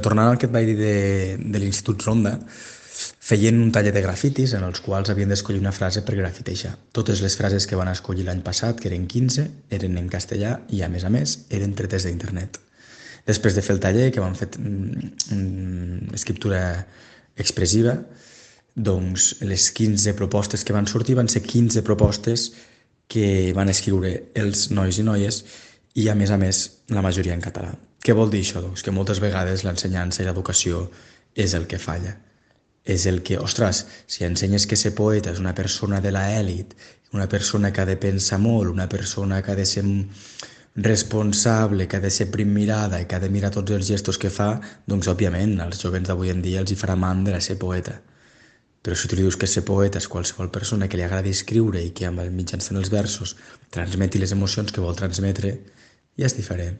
Tornant al que et vaig dir de l'Institut Ronda, feien un taller de grafitis en els quals havien d'escollir una frase per grafitejar. Totes les frases que van escollir l'any passat, que eren 15, eren en castellà i, a més, eren tretes d'internet. Després de fer el taller, que van fer escriptura expressiva, doncs les 15 propostes que van sortir van ser 15 propostes que van escriure els nois i noies i, a més, la majoria en català. Què vol dir això? Doncs que moltes vegades l'ensenyança i l'educació és el que falla. És el que, ostres, si ensenyes que ser poeta és una persona de l'elit, una persona que ha de pensar molt, una persona que ha de ser responsable, que ha de ser primmirada i que ha de mirar tots els gestos que fa, doncs, òbviament, als jovens d'avui en dia els hi farà mandra ser poeta. Però si tu li dius que ser poeta és qualsevol persona que li agradi escriure i que mitjançant els versos transmeti les emocions que vol transmetre, ja és diferent.